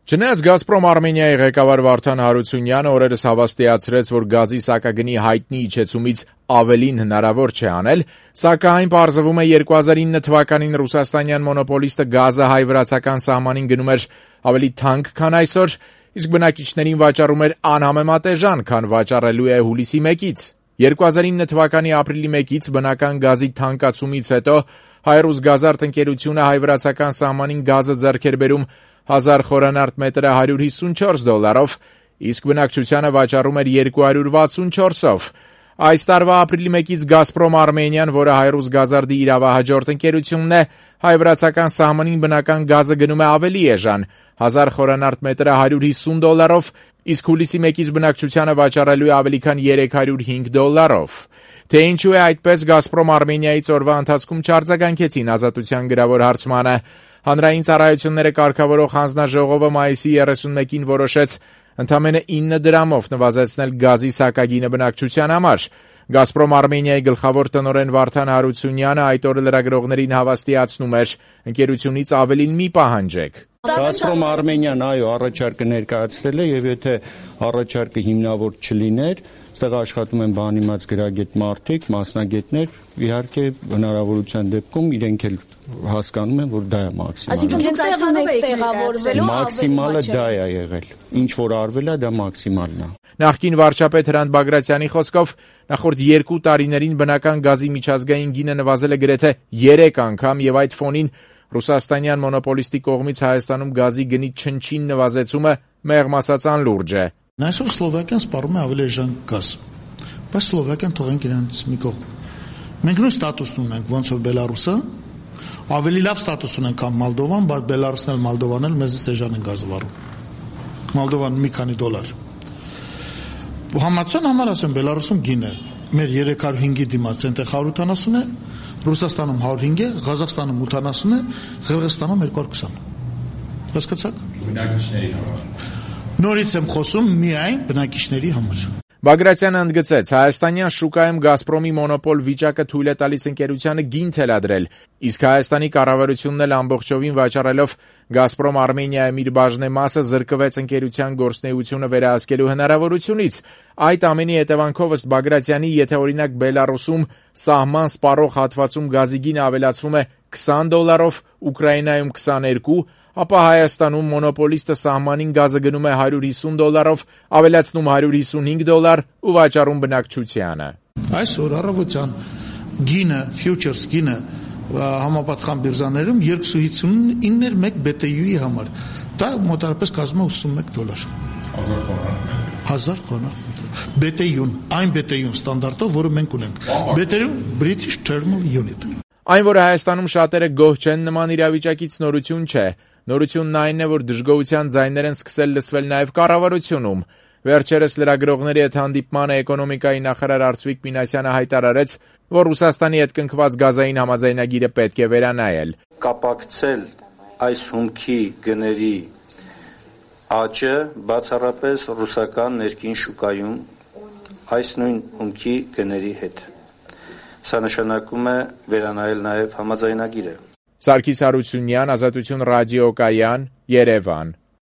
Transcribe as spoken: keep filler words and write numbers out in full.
Չնայած «Գազպրոմ Արմենիայի» ղեկավար Վարդան Հարությունյանը օրերս հավաստիացրեց, որ գազի սակագնի հայտնի իջեցումից ավելին հնարավոր չէ անել, սակայն պարզվում է երկու հազար ինը թվականին ռուսաստանյան մոնոպոլիստը գազը հայ-վրացական սահմանին գնում էր ավելի թանկ, քան այսօր, իսկ բնակիչներին վաճառում էր անհամեմատ էժան, քան վաճառելու է հուլիսի մեկից։ երկու հազար ինը թվականի ապրիլի մեկից բնական գազի թանկացումից հետո Հայ-Ռուսգազարդ ընկերությունը հայ-վրացական սահմանին գազը ձեռք էր բերում հազար խորանարդ մետրը հարյուր հիսունչորս դոլարով, իսկ բնակչությանը վաճառում էր երկու հարյուր վաթսունչորսով։ Այս տարվա ապրիլի մեկից «Գազպրոմ Արմենիան», որը Հայ-Ռուսգազարդի իրավահաջորդ ընկերությունն է, հայ-վրացական սահմանին բնական գազը գնում է ավելի էժան, հազար խորանարդ մետրը հարյուր հիսուն դոլարով, իսկ հուլիսի մեկից բնակչությանը վաճառելու է ավելի քան երեք հարյուր հինգ դոլարով։ Թե ինչու է այդպես, «Գազպրոմ Արմենիայից» օրվա ընթացքում չարձագանքեցին Ազատության գրավոր հարցմանը։ Հանրային ծառայությունները կարգավորող հանձնաժողովը մայիսի երեսունմեկին որոշեց ընդամենը ինը դրամով նվազեցնել գազի սակագինը բնակչության համար։ «Գազպրոմ Արմենիայի» գլխավոր տնօրեն Վարդան Հարությունյանը այդ օրը լրագրողներին հավաստիացնում էր. ընկերությունից ավելին մի պահանջեք։ «Գազպրոմ Արմենիան, այո, առաջարկը ներկայացրել է, եւ եթե առաջարկը հիմնավոր չլիներ, այստեղ աշխատում են բանիմաց գրագետ մարդիկ, մասնագետներ, իհարկե հնարավորության դեպքում իրենք էլ հասկանում են, որ դա է մաքսիմալը։ Այսինքն տեղում եք տեղավորվելու մաքսիմալը դա է եղել։ Ինչ որ արվել է, դա մաքսիմալն է։ Նախկին վարչապետ Հրանտ Բագրատյանի խոսքով նախորդ երկու տարիներին բնական գազի միջազգային գինը նվազել է գրեթե երեք անգամ եւ այդ ֆոնին ռուսաստանյան մոնոպոլիստի կողմից Հայաստանում գազի գնի չնչին նվազեցումը մեղմ ասած անլուրջ է։ Այսօր Սլովակիան սպառում է ավելի էժան գազ, բայց Սլովակիան թողենք իրենց մի կողմ։ Մենք նույն ստատուսն ունենք, ոնց որ Բելարուսը, ավելի լավ ստատուս ունենք, քան Մոլդովան, բայց Բելարուսն էլ Մոլդովան էլ մեզից էժան են գազը վարում։ Մոլդովան մի քանի դոլար։ Համացան համար ասեմ, Բելարուսում գինը մեր երեք հարյուր հինգի դիմաց այնտեղ հարյուր ութանասուն է, Ռուսաստանում հարյուր հինգ է, Ղազախստանում ութանասուն է, Ղրղստանում երկու հարյուր քսան։ Հասկացաք։ Բնակիչների համար։ Նորից եմ խոսում միայն բնակիչների համար։ Բագրատյանը ընդգծեց, հայաստանյան շուկայում «Գազպրոմի» մոնոպոլ վիճակը թույլ է տալիս ընկերությանը գին թելադրել, իսկ Հայաստանի կառավարությունն էլ ամբողջովին վաճառելով «Գազպրոմ Արմենիայում» իր բաժնեմասը զրկվեց ընկերության գործունեությունը վերահսկելու հնարավորությունից։ Այդ ամենի հետևանքով ըստ Բագրատյանի, եթե օրինակ Բելարուսում սահման սպառող հատվածում գազի գինը ավելացվում է քսան դոլարով, Ուկրաինայում քսաներկու, ապա Հայաստանում մոնոպոլիստը սահմանին գազը գնում է հարյուր հիսուն դոլարով, ավելացնում հարյուր հիսունհինգ դոլար ու վաճառում բնակչությանը։ Այսօր առավոտյան գինը, ֆյուչերս գինը համապատասխան բիրզաներում երկու հիսունինը մեկ B T U-ի համար։ Դա մոտավորապես կազմում է ութսունմեկ դոլար։ հազար խոնարհ։ B T U-ն, այն B T U-ն ստանդարտով, որը մենք ունենք։ B T U British Thermal Unit։ Այն, որ Հայաստանում շատերը գոհ չեն նման իրավիճակից, նորություն չէ։ Նորությունն այն է, որ դժգոհության ձայներ են սկսել լսվել նաև կառավարությունում։ Վերջերս լրագրողների հետ հանդիպմանը էկոնոմիկայի նախարար Արծվիկ Մինասյանը հայտարարեց, որ Ռուսաստանի հետ կնքված գազային համաձայնագիրը պետք է վերանայել։ Կապակցել այս հումքի գների աճը բացառապես ռուսական ներքին շուկայում այս նույն հումքի գների հետ։ Սա նշանակում է վերանայել նաև համաձայնագիրը։ Սարգիս Հարությունյան, Ազատություն ռադիոկայան, Երևան։